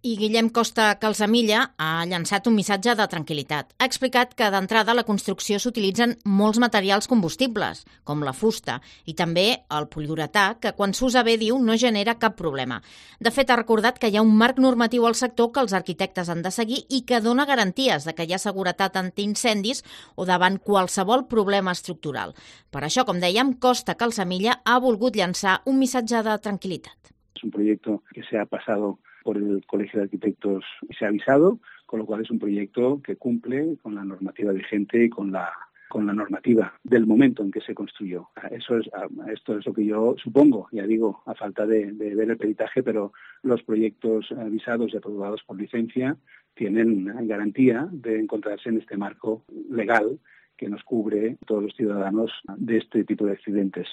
I Guillem Costa Calsamilla ha llançat un missatge de tranquil·litat. Ha explicat que d'entrada a la construcció s'utilitzen molts materials combustibles, com la fusta, i també el poliuretà, que quan s'usa bé, diu, no genera cap problema. De fet, ha recordat que hi ha un marc normatiu al sector que els arquitectes han de seguir i que dona garanties de que hi ha seguretat antiincendis o davant qualsevol problema estructural. Per això, com dèiem, Costa Calsamilla ha volgut llançar un missatge de tranquil·litat. Es un proyecto que se ha pasado por el Colegio de Arquitectos y se ha avisado, con lo cual es un proyecto que cumple con la normativa vigente y con la normativa del momento en que se construyó. Esto es lo que yo supongo, ya digo, a falta de ver el peritaje, pero los proyectos avisados y aprobados por licencia tienen garantía de encontrarse en este marco legal que nos cubre todos los ciudadanos de este tipo de accidentes.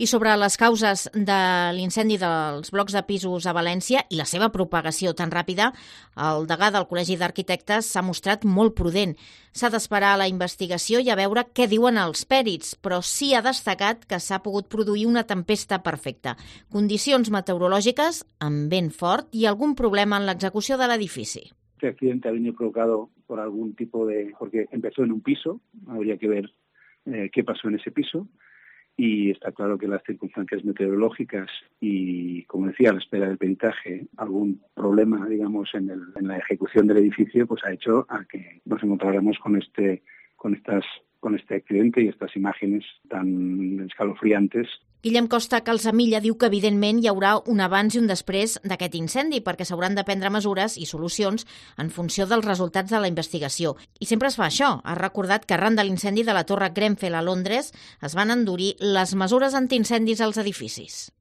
I sobre les causes de l'incendi dels blocs de pisos a València i la seva propagació tan ràpida, el degà del Col·legi d'Arquitectes s'ha mostrat molt prudent. S'ha d'esperar la investigació i a veure què diuen els pèrits, però sí ha destacat que s'ha pogut produir una tempesta perfecta, condicions meteorològiques amb vent fort i algun problema en l'execució de l'edifici. Este accidente ha venido provocado por algún tipo de... porque empezó en un piso, habría que ver qué pasó en ese piso, y está claro que las circunstancias meteorológicas y, como decía, a la espera del peritaje, algún problema, digamos, en la ejecución del edificio, pues ha hecho a que nos encontráramos con este accidente y estas imágenes tan escalofriantes. Guillem Costa Calsamilla diu que evidentment hi haurà un abans i un després d'aquest incendi perquè s'hauran de prendre mesures i solucions en funció dels resultats de la investigació. I sempre es fa això. Ha recordat que arran de l'incendi de la Torre Grenfell a Londres es van endurir les mesures antiincendis als edificis.